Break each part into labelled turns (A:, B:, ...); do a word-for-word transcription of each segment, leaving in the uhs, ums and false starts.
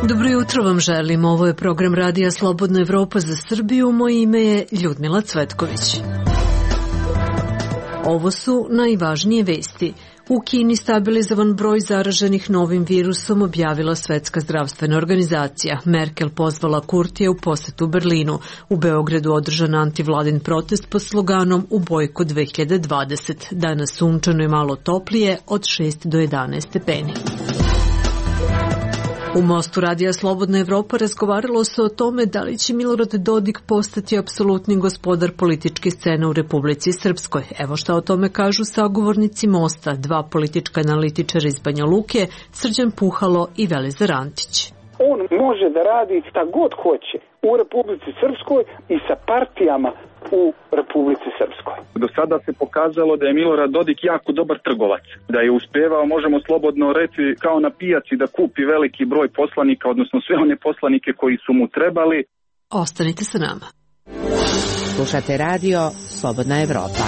A: Dobro jutro vam želim. Ovo je program Radija Slobodna Evropa za Srbiju. Moje ime je Ljudmila Cvetković. Ovo su najvažnije vesti. U Kini stabilizovan broj zaraženih novim virusom, objavila Svetska zdravstvena organizacija. Merkel pozvala Kurtija u posetu Berlinu. U Beogradu održan antivladin protest pod sloganom U bojkot dve hiljade dvadeset. Danas sunčano i malo toplije od šest do jedanaest stepeni. U Mostu Radija Slobodna Evropa razgovaralo se o tome da li će Milorad Dodik postati apsolutni gospodar političke scene u Republici Srpskoj. Evo šta o tome kažu sagovornici Mosta, dva politička analitičara iz Banja Luke, Srđan Puhalo i Velizar Antić.
B: On može da radi šta god hoće u Republici Srpskoj i sa partijama u Republici Srpskoj.
C: Do sada se pokazalo da je Milorad Dodik jako dobar trgovac, da je uspevao, možemo slobodno reći, kao na pijaci da kupi veliki broj poslanika, odnosno sve one poslanike koji su mu trebali.
A: Ostanite sa nama.
D: Slušate radio Slobodna Evropa.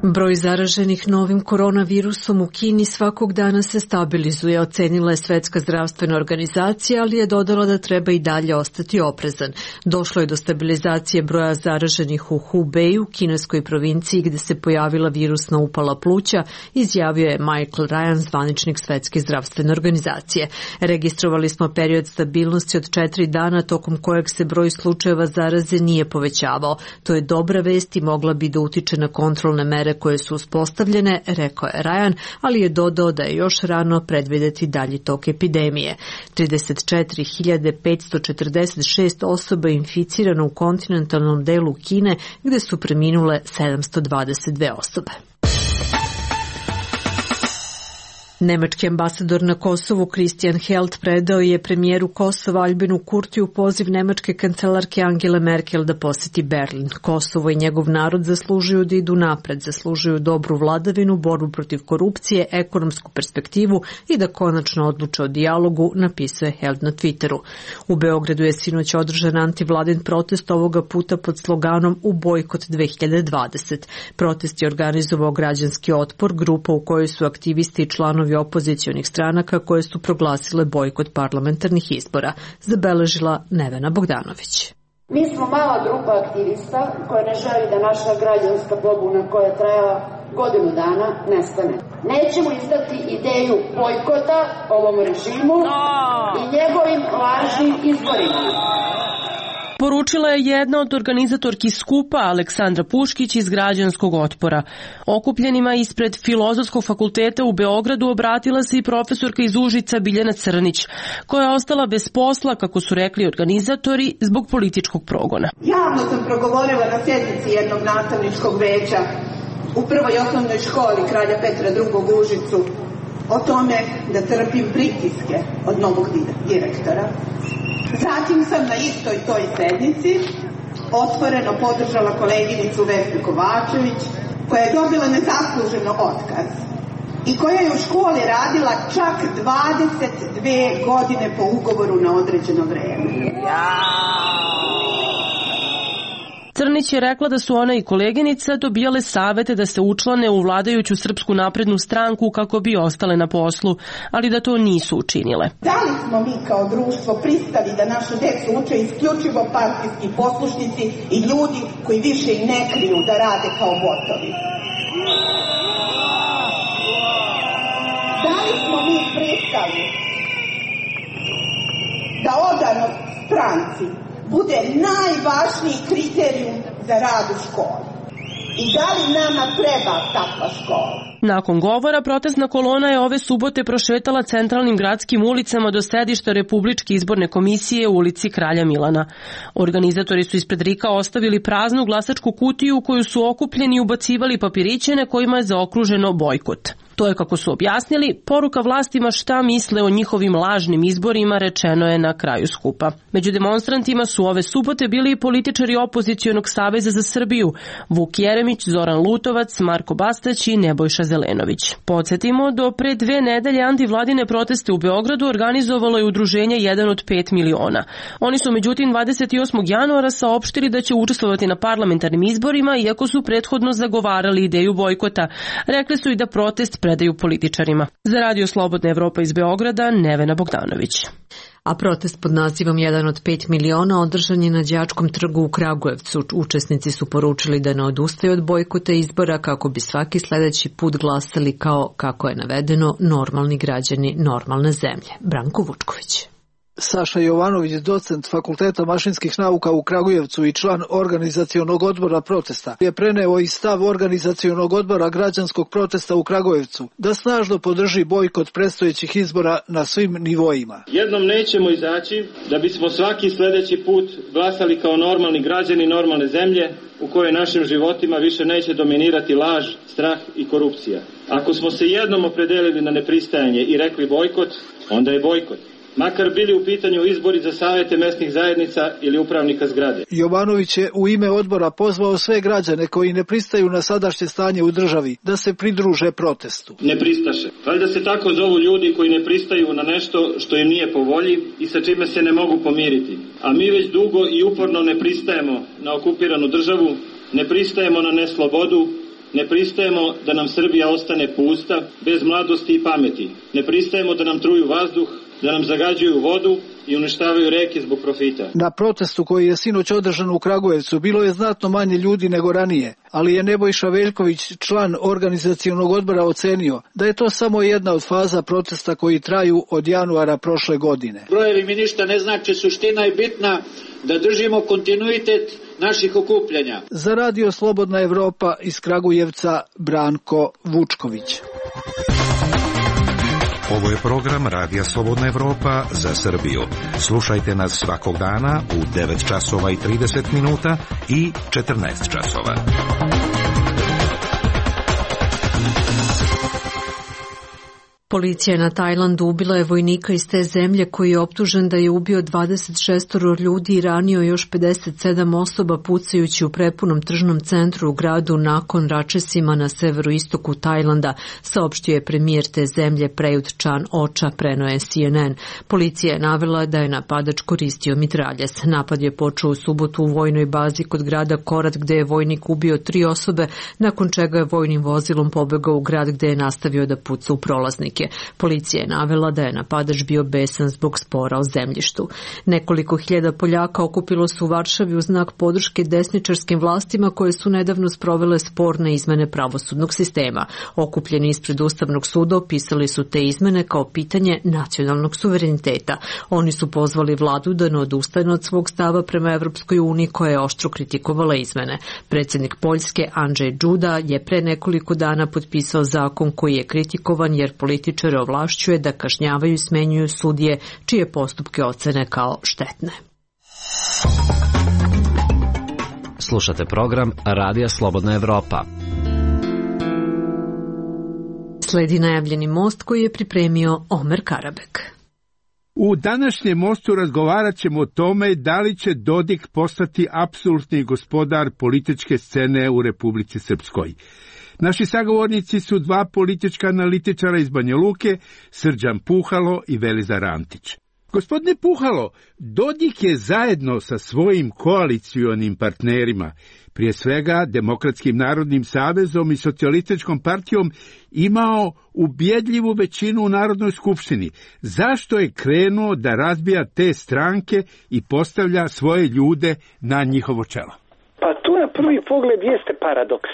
A: Broj zaraženih novim koronavirusom u Kini svakog dana se stabilizuje, ocenila je Svetska zdravstvena organizacija, ali je dodala da treba i dalje ostati oprezan. Došlo je do stabilizacije broja zaraženih u Hubeju, kineskoj provinciji gde se pojavila virusna upala pluća, izjavio je Michael Ryan, zvaničnik Svetske zdravstvene organizacije. Registrovali smo period stabilnosti od četiri dana tokom kojeg se broj slučajeva zaraze nije povećavao. To je dobra vest i mogla bi da utiče na kontrolne mere koje su uspostavljene, rekao je Ryan, ali je dodao da je još rano predvideti dalji tok epidemije. trideset četiri hiljade petsto četrdeset šest osoba je inficirano u kontinentalnom delu Kine, gde su preminule sedamsto dvadeset dve osobe. Nemački ambasador na Kosovu Christian Held predao je premijeru Kosova Albinu Kurtiju poziv nemačke kancelarke Angele Merkel da poseti Berlin. Kosovo i njegov narod zaslužuju da idu napred, zaslužuju dobru vladavinu, borbu protiv korupcije, ekonomsku perspektivu i da konačno odluče o dijalogu, napisao je Held na Twitteru. U Beogradu je sinoć održan antivladin protest, ovoga puta pod sloganom U bojkot dve hiljade dvadeset. Protest je organizovao građanski otpor, grupa u kojoj su aktivisti i članovi opozicionih stranaka koje su proglasile bojkot parlamentarnih izbora, zabeležila Nevena Bogdanović.
E: Mi smo mala grupa aktivista koja ne želi da naša građanska pobuna koja je trajala godinu dana nestane. Nećemo izdati ideju bojkota ovom režimu i njegovim lažnim izborima.
F: Poručila je jedna od organizatorki skupa Aleksandra Puškić iz građanskog otpora. Okupljenima ispred Filozofskog fakulteta u Beogradu obratila se i profesorka iz Užica Biljana Crnić, koja je ostala bez posla, kako su rekli organizatori, zbog političkog progona.
G: Javno sam progovorila na sjednici jednog nastavničkog veća u prvoj osnovnoj školi Kralja Petra drugog u Užicu o tome da trpim pritiske od novog direktora. Zatim sam na istoj toj sednici otvoreno podržala koleginicu Vesnu Kovačević, koja je dobila nezasluženo otkaz i koja je u školi radila čak dvadeset dve godine po ugovoru na određeno vreme.
F: Crnić je rekla da su ona i koleginica dobijale savete da se učlane u vladajuću Srpsku naprednu stranku kako bi ostale na poslu, ali da to nisu učinile.
G: Da li smo mi kao društvo pristali da našu decu uče isključivo partijski poslušnici i ljudi koji više i ne kriju da rade kao botovi? Da li smo mi pristali da odanost stranci bude najvažniji kriterijum za rad u školi? I da li nama treba takva škola?
F: Nakon govora, protestna kolona je ove subote prošetala centralnim gradskim ulicama do sedišta Republičke izborne komisije u ulici Kralja Milana. Organizatori su ispred RIK-a ostavili praznu glasačku kutiju u koju su okupljeni i ubacivali papiriće na kojima je zaokruženo bojkot. To je, kako su objasnili, poruka vlastima šta misle o njihovim lažnim izborima, rečeno je na kraju skupa. Među demonstrantima su ove subote bili i političari Opozicionog saveza za Srbiju, Vuk Jeremić, Zoran Lutovac, Marko Bastać i Nebojša Zelenović. Podsjetimo, do pre dve nedelje antivladine proteste u Beogradu organizovalo je udruženje jedan od pet miliona. Oni su međutim dvadeset osmog januara saopštili da će učestvovati na parlamentarnim izborima, iako su prethodno zagovarali ideju bojkota. Rekli su i da protest predaju političarima. Za Radio Slobodna Evropa iz Beograda, Nevena Bogdanović.
A: A protest pod nazivom jedan od pet miliona održan je na Đačkom trgu u Kragujevcu. Učesnici su poručili da ne odustaju od bojkota izbora kako bi svaki sledeći put glasali kao, kako je navedeno, normalni građani normalne zemlje. Branko Vučković.
H: Saša Jovanović, docent Fakulteta mašinskih nauka u Kragujevcu i član organizacionog odbora protesta, je preneo i stav organizacionog odbora građanskog protesta u Kragujevcu da snažno podrži bojkot predstojećih izbora na svim nivoima.
I: Jednom nećemo izaći da bismo svaki sledeći put glasali kao normalni građani normalne zemlje u kojoj našim životima više neće dominirati laž, strah i korupcija. Ako smo se jednom opredelili na nepristajanje i rekli bojkot, onda je bojkot. Makar bili u pitanju izbori za savete mesnih zajednica ili upravnika zgrade.
H: Jovanović je u ime odbora pozvao sve građane koji ne pristaju na sadašnje stanje u državi da se pridruže protestu.
I: Ne pristaše. Valjda se tako zovu ljudi koji ne pristaju na nešto što im nije po volji i sa čime se ne mogu pomiriti. A mi već dugo i uporno ne pristajemo na okupiranu državu, ne pristajemo na neslobodu, ne pristajemo da nam Srbija ostane pusta, bez mladosti i pameti. Ne pristajemo da nam truju vazduh, da nam zagađuju vodu i uništavaju reke zbog profita.
H: Na protestu koji je sinoć održan u Kragujevcu bilo je znatno manje ljudi nego ranije, ali je Nebojša Veljković, član organizacionog odbora, ocenio da je to samo jedna od faza protesta koji traju od januara prošle godine.
J: Brojevi mi ništa ne znači, suština je bitna da držimo kontinuitet naših okupljanja.
H: Za Radio Slobodna Evropa iz Kragujevca, Branko Vučković.
K: Ovo je program Radija Slobodna Evropa za Srbiju. Slušajte nas svakog dana u devet časova i trideset minuta i četrnaest časova.
A: Policija na Tajlandu ubila je vojnika iz te zemlje koji je optužen da je ubio dvadeset šest ljudi i ranio još pedeset sedam osoba pucajući u prepunom tržnom centru u gradu Nakhon Ratchasima na severoistoku Tajlanda, saopštio je premijer te zemlje Prayut Chan-ocha, preneo je C N N. Policija je navela da je napadač koristio mitraljez. Napad je počeo u subotu u vojnoj bazi kod grada Korat gde je vojnik ubio tri osobe, nakon čega je vojnim vozilom pobegao u grad gde je nastavio da puca u prolaznike. Policija je navela da je napadač bio besan zbog spora o zemljištu. Nekoliko hiljada Poljaka okupilo se u Varšavi u znak podrške desničarskim vlastima koje su nedavno sprovele sporne izmene pravosudnog sistema. Okupljeni ispred Ustavnog suda opisali su te izmene kao pitanje nacionalnog suvereniteta. Oni su pozvali vladu da ne odustane od svog stava prema Evropskoj uniji koja je oštro kritikovala izmene. Predsjednik Poljske Andrzej Duda je pre nekoliko dana potpisao zakon koji je kritikovan jer političari ovlašćuje da kažnjavaju i smenjuju sudije čije postupke ocene kao štetne.
L: Slušate program Radija Slobodna Evropa.
A: Sledi najavljeni most koji je pripremio Omer Karabek.
M: U današnjem mostu razgovarat ćemo o tome da li će Dodik postati apsolutni gospodar političke scene u Republici Srpskoj. Naši sagovornici su dva politička analitičara iz Banja Luke, Srđan Puhalo i Velizar Antić. Gospodine Puhalo, Dodik je zajedno sa svojim koalicionim partnerima, prije svega Demokratskim narodnim savezom i Socijalističkom partijom, imao ubjedljivu većinu u Narodnoj skupštini. Zašto je krenuo da razbija te stranke i postavlja svoje ljude na njihovo čelo?
B: Pa tu na prvi pogled jeste paradoks.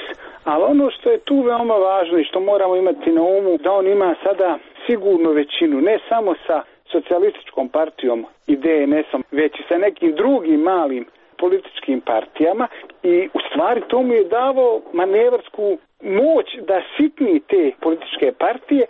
B: Ali ono što je tu veoma važno i što moramo imati na umu, da on ima sada sigurnu većinu, ne samo sa Socijalističkom partijom i D N S-om, već i sa nekim drugim malim političkim partijama i u stvari to mu je davao manevarsku moć da sitni te političke partije,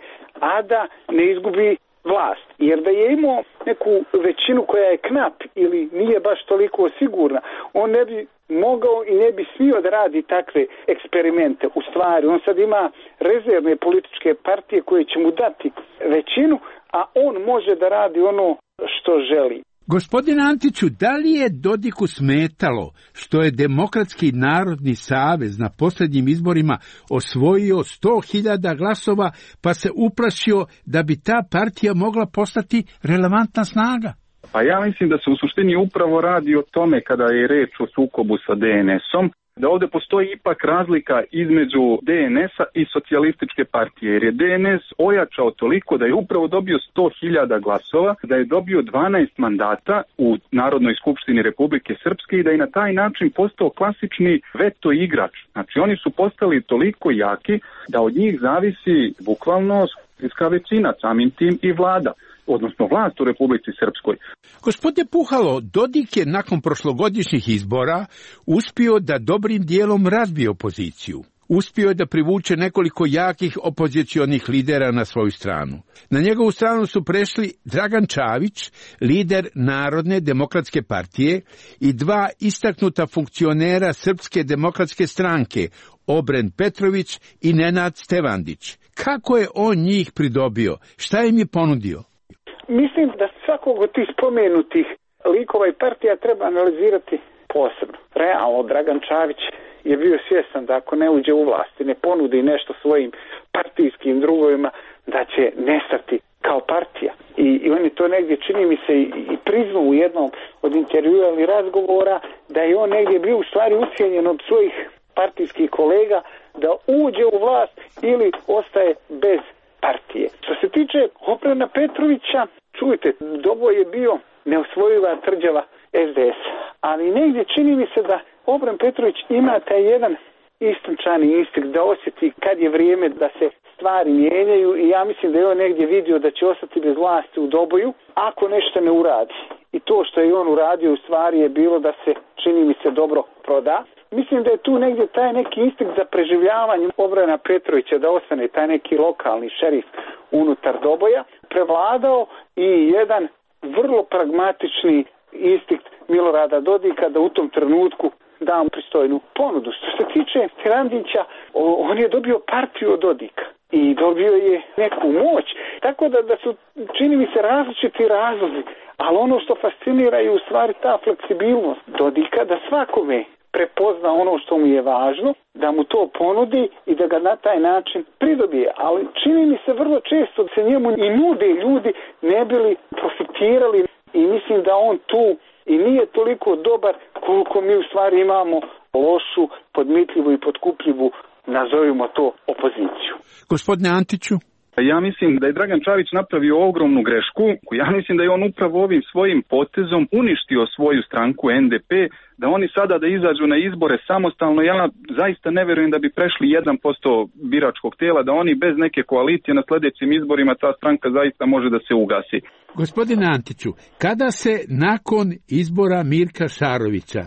B: a da ne izgubi vlast. Jer da je imao neku većinu koja je knap ili nije baš toliko sigurna, on ne bi mogao i ne bi smio da radi takve eksperimente. U stvari, on sad ima rezervne političke partije koje će mu dati većinu, a on može da radi ono što želi.
M: Gospodine Antiću, da li je Dodiku smetalo što je Demokratski narodni savez na posljednjim izborima osvojio sto hiljada glasova, pa se uplašio da bi ta partija mogla postati relevantna snaga?
C: Pa ja mislim da se u suštini upravo radi o tome kada je reč o sukobu sa D N S-om, da ovdje postoji ipak razlika između D N S-a i socijalističke partije, jer je D N S ojačao toliko da je upravo dobio sto hiljada glasova, da je dobio dvanaest mandata u Narodnoj skupštini Republike Srpske i da je na taj način postao klasični veto igrač. Znači oni su postali toliko jaki da od njih zavisi bukvalno skupštinska većina, samim tim i vlada, odnosno vlast u Republici Srpskoj.
M: Gospodine Puhalo, Dodik je nakon prošlogodišnjih izbora uspio da dobrim dijelom razbije opoziciju. Uspio je da privuče nekoliko jakih opozicionih lidera na svoju stranu. Na njegovu stranu su prešli Dragan Čavić, lider Narodne demokratske partije, i dva istaknuta funkcionera Srpske demokratske stranke, Obren Petrović i Nenad Stevandić. Kako je on njih pridobio? Šta im je ponudio?
B: Mislim da svakog od tih spomenutih likova i partija treba analizirati posebno. Realno, Dragan Čavić je bio svjestan da ako ne uđe u vlast i ne ponudi nešto svojim partijskim drugovima, da će nestati kao partija. I, i on je to negdje, čini mi se, i, i priznao u jednom od intervjua ili razgovora, da je on negdje bio u stvari ucijenjen od svojih partijskih kolega da uđe u vlast ili ostaje bez partije. Što se tiče Obrena Petrovića, čujte, Dobo je bio neosvojiva tvrđava S D S, ali negdje čini mi se da Obren Petrović ima taj jedan istinčani instinkt da osjeti kad je vrijeme da se stvari mijenjaju i ja mislim da je on negdje vidio da će ostati bez vlasti u Doboju ako nešto ne uradi. I to što je on uradio u stvari je bilo da se, čini mi se, dobro proda. Mislim da je tu negdje taj neki instinkt za preživljavanje Obrena Petrovića, da ostane taj neki lokalni šerif unutar Doboja, prevladao i jedan vrlo pragmatični instinkt Milorada Dodika da u tom trenutku da mu pristojnu ponudu. Što se tiče Randića, on je dobio partiju od Dodika i dobio je neku moć. Tako da, da su, čini mi se, različiti razlozi, ali ono što fascinira je u stvari ta fleksibilnost Dodika da svakome prepozna ono što mu je važno, da mu to ponudi i da ga na taj način pridobije. Ali čini mi se vrlo često da se njemu i nude ljudi ne bili profitirali i mislim da on tu i nije toliko dobar koliko mi u stvari imamo lošu, podmitljivu i potkupljivu, nazovimo to, opoziciju.
M: Gospodine Antiću?
C: Ja mislim da je Dragan Čavić napravio ogromnu grešku. Ja mislim da je on upravo ovim svojim potezom uništio svoju stranku N D P, da oni sada da izađu na izbore samostalno. Ja zaista ne vjerujem da bi prešli jedan posto biračkog tijela, da oni bez neke koalicije na sljedećim izborima ta stranka zaista može da se ugasi.
M: Gospodine Antiću, kada se nakon izbora Mirka Šarovića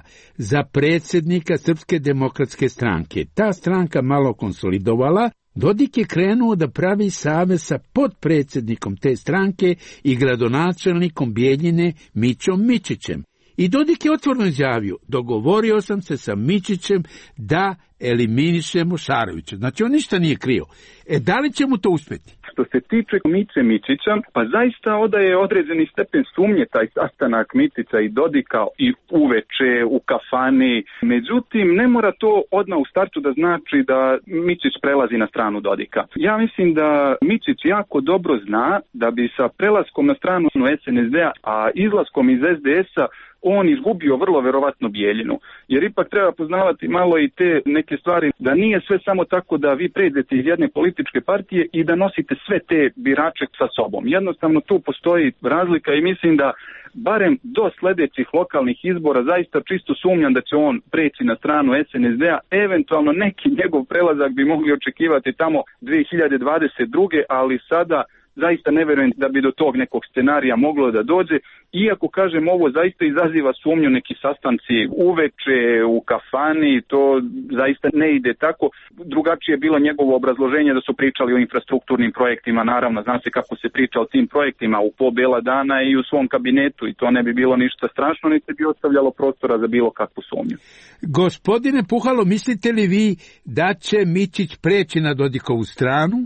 M: za predsjednika Srpske demokratske stranke ta stranka malo konsolidovala, Dodik je krenuo da pravi savez sa potpredsjednikom te stranke i gradonačelnikom Bijeljine Mićom Mičićem. I Dodik je otvoreno izjavio, dogovorio sam se sa Mičićem da eliminišemo Šarovića. Znači on ništa nije krio. E, da li će mu to uspjeti?
C: Što se tiče Miće Mičića, pa zaista odaje određeni stepen sumnje taj sastanak Mičića i Dodika i uveče, u kafani. Međutim, ne mora to odmah u startu da znači da Mičić prelazi na stranu Dodika. Ja mislim da Mičić jako dobro zna da bi sa prelaskom na stranu S N S D-a, a izlaskom iz S D S-a, on izgubio vrlo verovatno Bijeljinu. Jer ipak treba poznavati malo i te neke stvari, da nije sve samo tako da vi pređete iz jedne političke partije i da nosite sve te birače sa sobom. Jednostavno tu postoji razlika i mislim da barem do sljedećih lokalnih izbora zaista čisto sumnjam da će on preći na stranu S N S D-a. Eventualno neki njegov prelazak bi mogli očekivati tamo dvije hiljade dvadeset druge. ali sada zaista ne vjerujem da bi do tog nekog scenarija moglo da dođe, iako kažem ovo zaista izaziva sumnju, neki sastanci uveče u kafani, to zaista ne ide tako. Drugačije je bilo njegovo obrazloženje da su pričali o infrastrukturnim projektima, naravno zna se kako se priča o tim projektima u po bela dana i u svom kabinetu i to ne bi bilo ništa strašno, niti bi ostavljalo prostora za bilo kakvu sumnju.
M: Gospodine Puhalo, mislite li vi da će Mičić preći na Dodikovu stranu?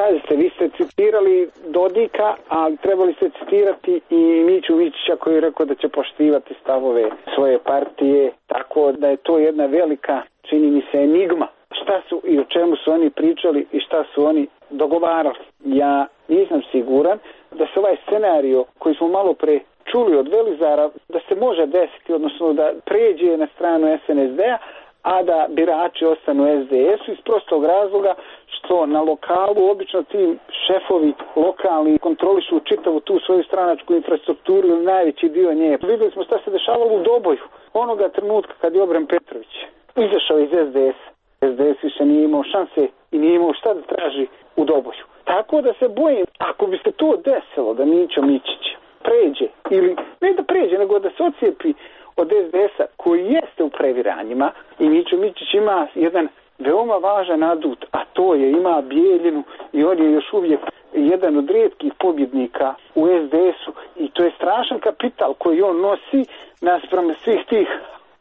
B: Pazite, vi ste citirali Dodika, a trebali ste citirati i Miću Mičića koji je rekao da će poštivati stavove svoje partije, tako da je to jedna velika, čini mi se, enigma. Šta su i o čemu su oni pričali i šta su oni dogovarali. Ja nisam siguran da se ovaj scenario koji smo malo pre čuli od Velizara, da se može desiti, odnosno da pređe na stranu es en es de-a, a da birači ostanu es de es-u iz prostog razloga što na lokalu obično ti šefovi lokalni kontrolišu čitavu tu svoju stranačku infrastrukturu ili najveći dio nje. Vidjeli smo šta se dešavalo u Doboju. Onoga trenutka kad je Obren Petrović izašao iz es de es-a, es de es više nije imao šanse i nije imao šta da traži u Doboju. Tako da se bojim, ako bi se to desilo da Mićo Mičić pređe, ili ne da pređe, nego da se ocijepi od es de es-a koji jeste u previranjima i Mićo Mičić ima jedan veoma važan adut, a to je ima Bijeljinu i on je još uvijek jedan od rijetkih pobjednika u es de es-u i to je strašan kapital koji on nosi naspram svih tih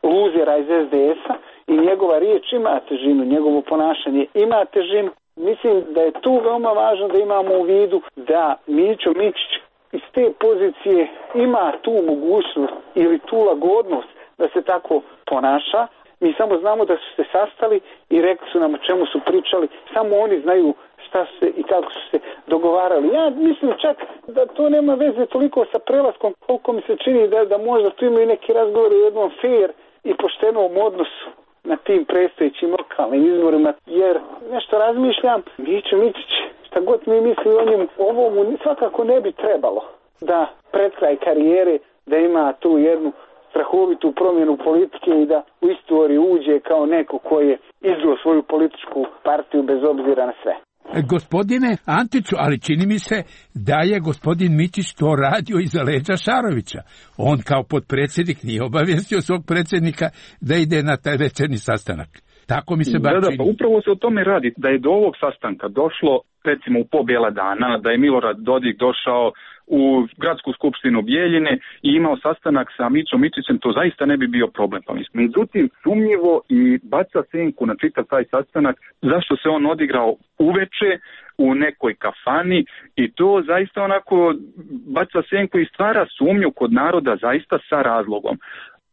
B: luzera iz es de es-a i njegova riječ ima težinu, njegovo ponašanje ima težinu. Mislim da je tu veoma važno da imamo u vidu da Mićo Mičić iz te pozicije ima tu mogućnost ili tu lagodnost da se tako ponaša. Mi samo znamo da su se sastali i rekli su nam o čemu su pričali. Samo oni znaju šta su se i kako su se dogovarali. Ja mislim čak da to nema veze toliko sa prelaskom, koliko mi se čini da, da možda tu imaju neki razgovor o jednom fair i poštenom odnosu na tim predstojećim lokalnim izborima, jer nešto razmišljam, Mićo Mičić, šta god mi misli o njemu, ovo mu svakako ne bi trebalo da pred kraj karijere da ima tu jednu strahovitu promjenu politike i da u istoriju uđe kao neko koji je izveo svoju političku partiju bez obzira na sve.
M: Gospodine Antiću, ali čini mi se da je gospodin Mičić to radio iza leđa Šarovića. On kao potpredsjednik nije obavijestio svog predsjednika da ide na taj večernji sastanak. Tako mi se bar
C: da,
M: čini.
C: Da, pa upravo se o tome radi. Da je do ovog sastanka došlo, recimo u po bijela dana, da je Milorad Dodik došao u gradsku skupštinu Bijeljine i imao sastanak sa Mićom Mičićem, to zaista ne bi bio problem. Pa mislim. Međutim, sumnjivo i baca senku na čitav taj sastanak, zašto se on odigrao uveče u nekoj kafani i to zaista onako baca senku i stvara sumnju kod naroda zaista sa razlogom.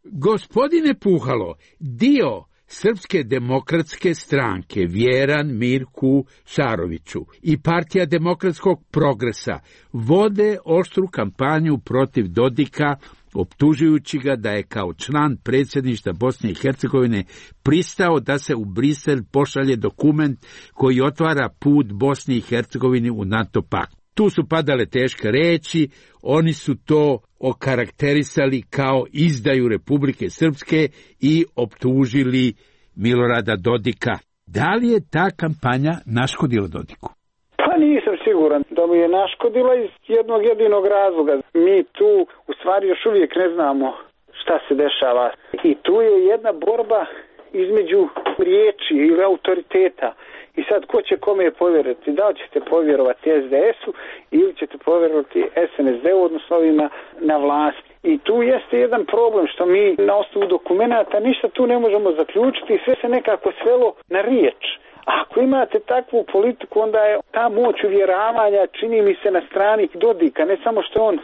M: Gospodine Puhalo, dio Srpske demokratske stranke Vjeran Mirku Šaroviću i Partija demokratskog progresa vode oštru kampanju protiv Dodika, optužujući ga da je kao član predsjedništva Bosne i Hercegovine pristao da se u Brisel pošalje dokument koji otvara put Bosni i Hercegovini u NATO pakt. Tu su padale teške reči, oni su to okarakterisali kao izdaju Republike Srpske i optužili Milorada Dodika. Da li je ta kampanja naškodila Dodiku?
B: Pa nisam siguran da mu je naškodila iz jednog jedinog razloga. Mi tu u stvari još uvijek ne znamo šta se dešava. I tu je jedna borba između riječi ili autoriteta. I sad, ko će kome povjerovati? Da li ćete povjerovati es de es-u ili ćete povjerovati es en es de-u, odnosno ovima na vlasti? I tu jeste jedan problem što mi na osnovu dokumenata ništa tu ne možemo zaključiti i sve se nekako svelo na riječ. Ako imate takvu politiku, onda je ta moć uvjeravanja, čini mi se, na strani Dodika. Ne samo što on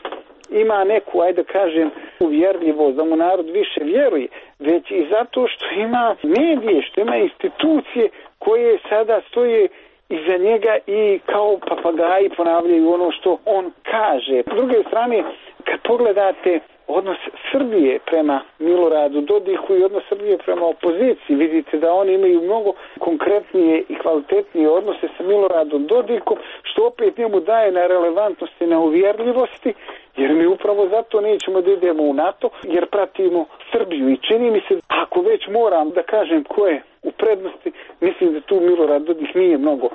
B: ima neku, ajde kažem, uvjerljivost, da mu narod više vjeruje, već i zato što ima medije, što ima institucije koje sada stoje iza njega i kao papagaji ponavljaju ono što on kaže. S druge strane, kad pogledate odnos Srbije prema Miloradu Dodiku i odnos Srbije prema opoziciji, vidite da oni imaju mnogo konkretnije i kvalitetnije odnose sa Miloradom Dodikom, što opet njemu daje na relevantnosti, na uvjerljivosti, jer mi upravo zato nećemo da idemo u NATO, jer pratimo Srbiju. I čini mi se, ako već moram da kažem ko je u prednosti, mislim da tu Milorad Dodik nije mnogo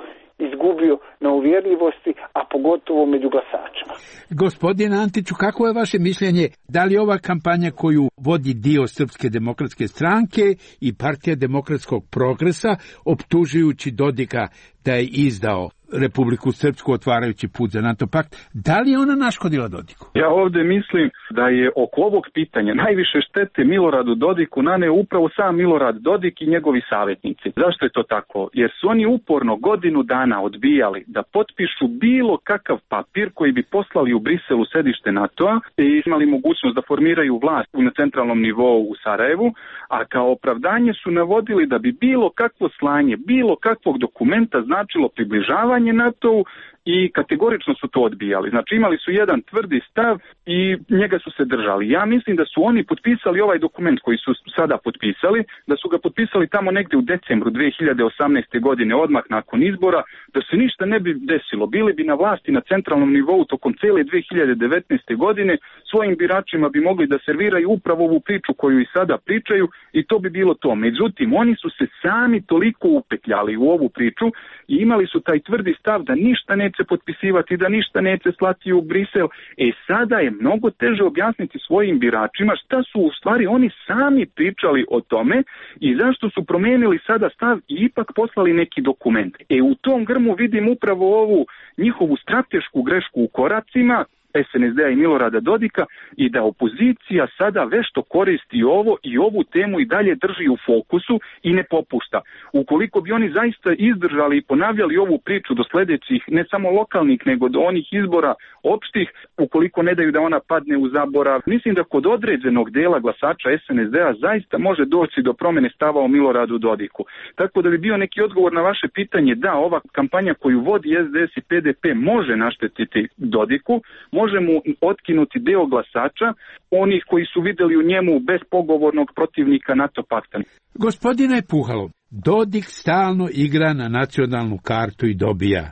B: izgubio na uvjerljivosti, a pogotovo među glasačima.
M: Gospodine Antiću, kako je vaše mišljenje, da li ova kampanja koju vodi dio Srpske demokratske stranke i Partija demokratskog progresa, optužujući Dodika da je izdao Republiku Srpsku otvarajući put za NATO pakt, da li je ona naškodila Dodiku?
C: Ja ovdje mislim da je oko ovog pitanja najviše štete Miloradu Dodiku naneo upravo sam Milorad Dodik i njegovi savjetnici. Zašto je to tako? Jer su oni uporno godinu dana odbijali da potpišu bilo kakav papir koji bi poslali u Briselu sedište NATO-a i imali mogućnost da formiraju vlast na centralnom nivou u Sarajevu, a kao opravdanje su navodili da bi bilo kakvo slanje, bilo kakvog dokumenta značilo približavanje NATO-u i kategorično su to odbijali. Znači imali su jedan tvrdi stav i njega su se držali. Ja mislim da su oni potpisali ovaj dokument koji su sada potpisali, da su ga potpisali tamo negdje u decembru dvije hiljade osamnaeste. godine, odmah nakon izbora, da se ništa ne bi desilo. Bili bi na vlasti na centralnom nivou tokom cele dvije hiljade devetnaeste. godine, svojim biračima bi mogli da serviraju upravo ovu priču koju i sada pričaju i to bi bilo to. Međutim, oni su se sami toliko upetljali u ovu priču i imali su taj tvrdi stav da ništa neće potpisivati, da ništa neće slati u Brisel. E sada je mnogo teže objasniti svojim biračima šta su u stvari oni sami pričali o tome i zašto su promijenili sada stav i ipak poslali neki dokument. E u tom grmu vidim upravo ovu njihovu stratešku grešku u koracima es en es de a i Milorada Dodika i da opozicija sada vešto koristi ovo i ovu temu i dalje drži u fokusu i ne popušta. Ukoliko bi oni zaista izdržali i ponavljali ovu priču do sljedećih ne samo lokalnih nego do onih izbora opštih, ukoliko ne daju da ona padne u zaborav, mislim da kod određenog dela glasača es en es de a zaista može doći do promjene stava o Miloradu Dodiku. Tako da bi bio neki odgovor na vaše pitanje, da, ova kampanja koju vodi es de es i pe de pe može naštetiti Dodiku, može mu otkinuti deo glasača, onih koji su vidjeli u njemu bespogovornog protivnika NATO pakta.
M: Gospodine Puhalo, Dodik stalno igra na nacionalnu kartu i dobija.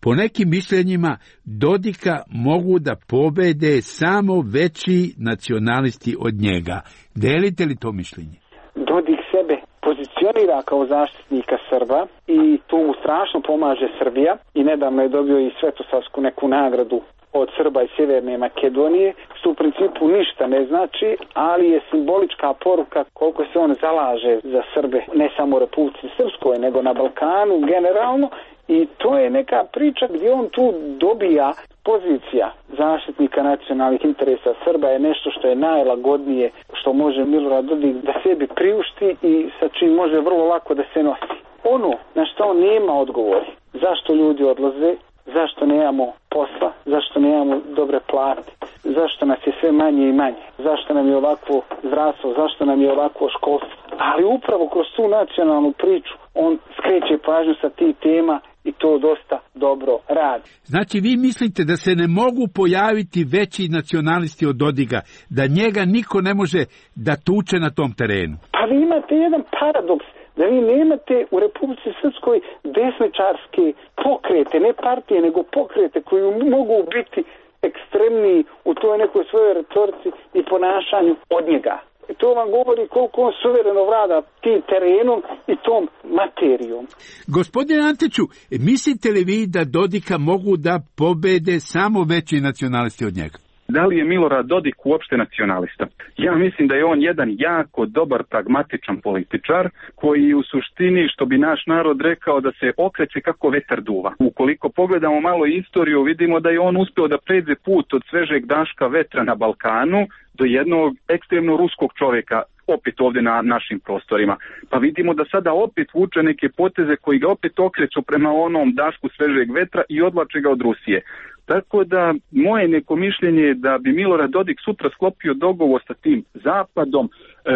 M: Po nekim mišljenjima Dodika mogu da pobede samo veći nacionalisti od njega. Delite li to mišljenje?
B: Dodik sebe pozicionira kao zaštitnika Srba i tu mu strašno pomaže Srbija i nedavno je dobio i Svetosavsku neku nagradu od Srba iz Sjeverne Makedonije, što u principu ništa ne znači, ali je simbolička poruka koliko se on zalaže za Srbe, ne samo u Republici Srpskoj, nego na Balkanu generalno, i to je neka priča gdje on tu dobija pozicija zaštitnika nacionalnih interesa Srba je nešto što je najlagodnije što može Milorad Dodik da sebi priušti i sa čim može vrlo lako da se nosi. Ono na što on nema odgovori, zašto ljudi odlaze, zašto nemamo posla, zašto nemamo dobre plate, zašto nas je sve manje i manje, zašto nam je ovakvo zdravstvo, zašto nam je ovakvo školstvo. Ali upravo kroz tu nacionalnu priču on skreće pažnju sa tih tema i to dosta dobro radi.
M: Znači vi mislite da se ne mogu pojaviti veći nacionalisti od Dodiga, da njega niko ne može da tuče na tom terenu?
B: Pa vi imate jedan paradoks, da vi nemate u Republici Srpskoj desničarske pokrete, ne partije, nego pokrete koji mogu biti ekstremniji u toj nekoj svojoj retorici i ponašanju od njega. I to vam govori koliko on suvereno vlada tim terenom i tom materijom.
M: Gospodine Antiću, mislite li vi da Dodika mogu da pobede samo veći nacionalisti od njega?
C: Da li je Milorad Dodik uopšte nacionalista? Ja mislim da je on jedan jako dobar pragmatičan političar koji u suštini, što bi naš narod rekao, da se okreće kako vetar duva. Ukoliko pogledamo malo istoriju, vidimo da je on uspeo da pređe put od svežeg daška vetra na Balkanu do jednog ekstremno ruskog čovjeka opet ovdje na našim prostorima. Pa vidimo da sada opet vuče neke poteze koji ga opet okreću prema onom dašku svežeg vetra i odvlače ga od Rusije. Tako da moje neko mišljenje je da bi Milorad Dodik sutra sklopio dogovor sa tim zapadom,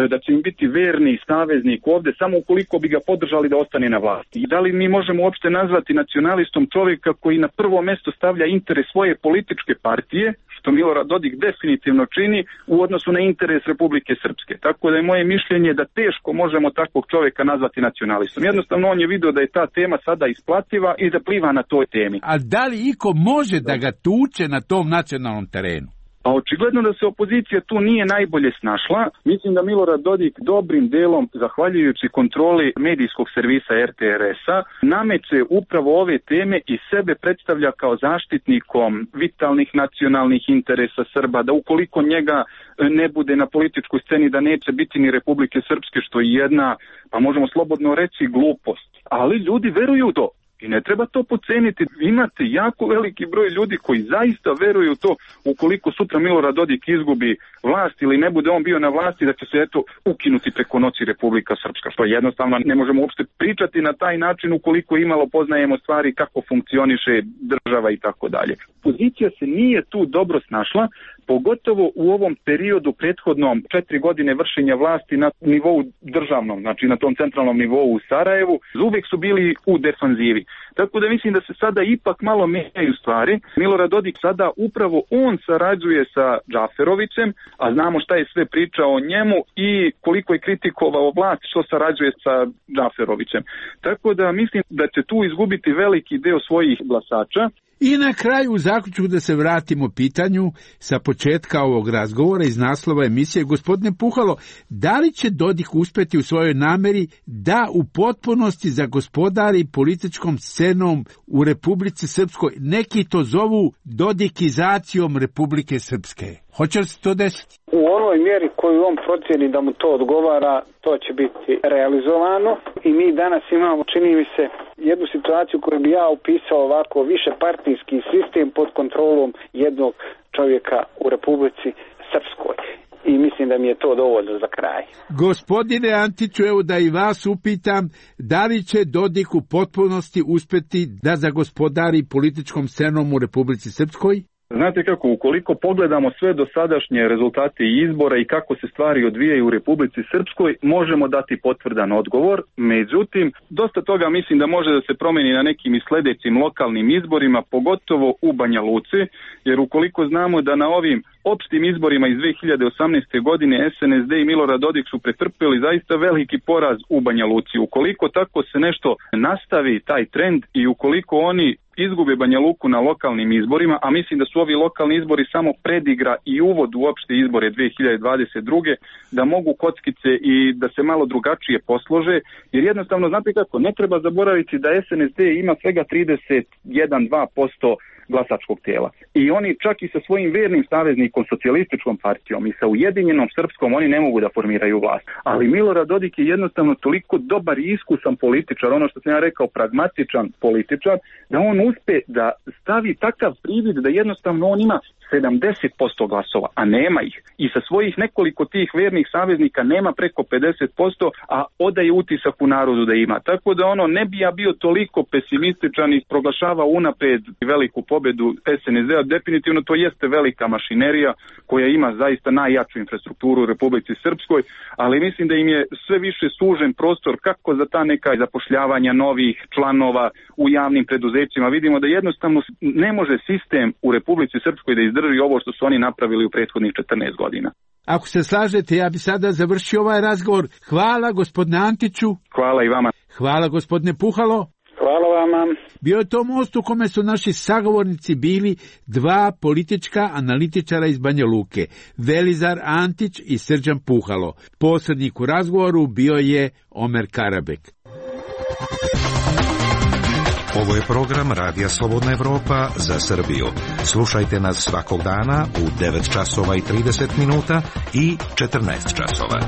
C: da će im biti verni saveznik ovdje, samo ukoliko bi ga podržali da ostane na vlasti. I da li mi možemo uopšte nazvati nacionalistom čovjeka koji na prvo mjesto stavlja interes svoje političke partije, što Milorad Dodik definitivno čini, u odnosu na interes Republike Srpske. Tako da je moje mišljenje da teško možemo takvog čovjeka nazvati nacionalistom. Jednostavno on je vidio da je ta tema sada isplativa i da pliva na toj temi.
M: A da li iko može da ga tuče na tom nacionalnom terenu?
C: A očigledno da se opozicija tu nije najbolje snašla. Mislim da Milorad Dodik dobrim delom, zahvaljujući kontroli medijskog servisa er te er es-a, nameće upravo ove teme i sebe predstavlja kao zaštitnikom vitalnih nacionalnih interesa Srba, da ukoliko njega ne bude na političkoj sceni, da neće biti ni Republike Srpske, što je jedna, pa možemo slobodno reći, glupost. Ali ljudi veruju u to. I ne treba to poceniti. Imate jako veliki broj ljudi koji zaista veruju to, ukoliko sutra Milorad Dodik izgubi vlast ili ne bude on bio na vlasti, da će se eto ukinuti preko noći Republika Srpska, što jednostavno ne možemo uopšte pričati na taj način ukoliko imalo poznajemo stvari kako funkcioniše država i tako dalje. Pozicija se nije tu dobro snašla, pogotovo u ovom periodu prethodnom četiri godine vršenja vlasti na nivou državnom, znači na tom centralnom nivou u Sarajevu, uvijek su bili u defanzivi. Tako da mislim da se sada ipak malo menjaju stvari. Milorad Dodik sada upravo on sarađuje sa Džaferovićem, a znamo šta je sve pričao o njemu i koliko je kritikovao vlast što sarađuje sa Džaferovićem. Tako da mislim da će tu izgubiti veliki deo svojih glasača.
M: I na kraju u zaključku da se vratimo pitanju sa početka ovog razgovora iz naslova emisije. Gospodine Puhalo, da li će Dodik uspeti u svojoj nameri da u potpunosti zagospodari političkom scenom u Republici Srpskoj? Neki to zovu dodikizacijom Republike Srpske. Hoće li se to desiti?
B: U onoj mjeri koju on procjeni da mu to odgovara, to će biti realizovano i mi danas imamo, čini mi se, jednu situaciju koju bi ja upisao ovako, više partijski sistem pod kontrolom jednog čovjeka u Republici Srpskoj. I mislim da mi je to dovoljno za kraj.
M: Gospodine Antiću, evo da i vas upitam, da li će Dodik u potpunosti uspeti da zagospodari političkom scenom u Republici Srpskoj?
C: Znate kako, ukoliko pogledamo sve dosadašnje rezultate izbora i kako se stvari odvijaju u Republici Srpskoj, možemo dati potvrdan odgovor. Međutim, dosta toga mislim da može da se promeni na nekim i sledećim lokalnim izborima, pogotovo u Banja Luci, jer ukoliko znamo da na ovim opštim izborima iz dve hiljade osamnaeste. godine es en es de i Milorad Dodik su pretrpeli zaista veliki poraz u Banja Luci. Ukoliko tako se nešto nastavi, taj trend, i ukoliko oni izgube Banja Luku na lokalnim izborima, a mislim da su ovi lokalni izbori samo predigra i uvod u opšte izbore dve hiljade dvadeset druge. da mogu kockice i da se malo drugačije poslože, jer jednostavno, znate kako, ne treba zaboraviti da es en es de ima svega trideset jedan do dva posto glasačkog tijela. I oni čak i sa svojim vernim saveznikom, socijalističkom partijom i sa Ujedinjenom Srpskom, oni ne mogu da formiraju vlast. Ali Milorad Dodik je jednostavno toliko dobar i iskusan političar, ono što sam ja rekao, pragmatičan političar, da on uspe da stavi takav privid da jednostavno on ima sedamdeset posto glasova, a nema ih. I sa svojih nekoliko tih vernih saveznika nema preko pedeset posto, a odaje utisak u narodu da ima. Tako da ono, ne bi ja bio toliko pesimističan i proglašava unapred veliku pobedu es en es de-a. Definitivno to jeste velika mašinerija koja ima zaista najjaču infrastrukturu u Republici Srpskoj, ali mislim da im je sve više sužen prostor kako za ta neka zapošljavanja novih članova u javnim preduzećima. Vidimo da jednostavno ne može sistem u Republici Srpskoj da izdrži ovo što su oni napravili u prethodnih četrnaest godina.
M: Ako se slažete, ja bi sada završio ovaj razgovor. Hvala gospodine Antiću.
C: Hvala i vama.
M: Hvala gospodine Puhalo.
B: Hvala vama.
M: Bio je to most u kome su naši sagovornici bili dva politička analitičara iz Banja Luke, Velizar Antić i Srđan Puhalo. Posrednik u razgovoru bio je Omer Karabek.
K: Ovo je program Radija Slobodna Evropa za Srbiju. Slušajte nas svakog dana u devet časova i trideset minuta i četrnaest časova.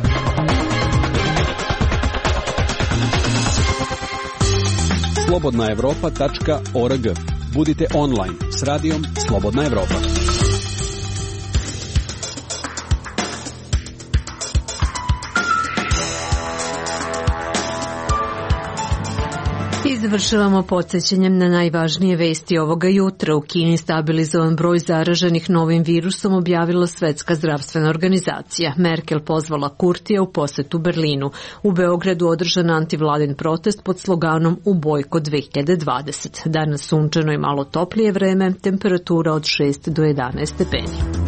N: slobodna evropa tačka org. Budite online s radijom Slobodna Evropa.
A: I završavamo podsjećanjem na najvažnije vesti ovoga jutra. U Kini stabilizovan broj zaraženih novim virusom objavila Svetska zdravstvena organizacija. Merkel pozvala Kurtija u posetu Berlinu. U Beogradu održan antivladin protest pod sloganom U bojkot dve hiljade dvadeset. Danas sunčano i malo toplije vreme, temperatura od šest do jedanaest stepeni.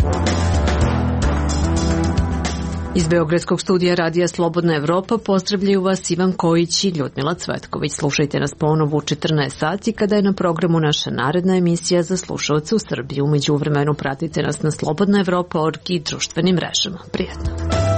A: Iz Beogradskog studija Radija Slobodna Evropa pozdravljaju vas Ivan Kojić i Ljudmila Cvetković. Slušajte nas ponovo u četrnaest sati kada je na programu naša naredna emisija za slušalce u Srbiji. U međuvremenu pratite nas na slobodna evropa tačka org i društvenim mrežama. Prijetno!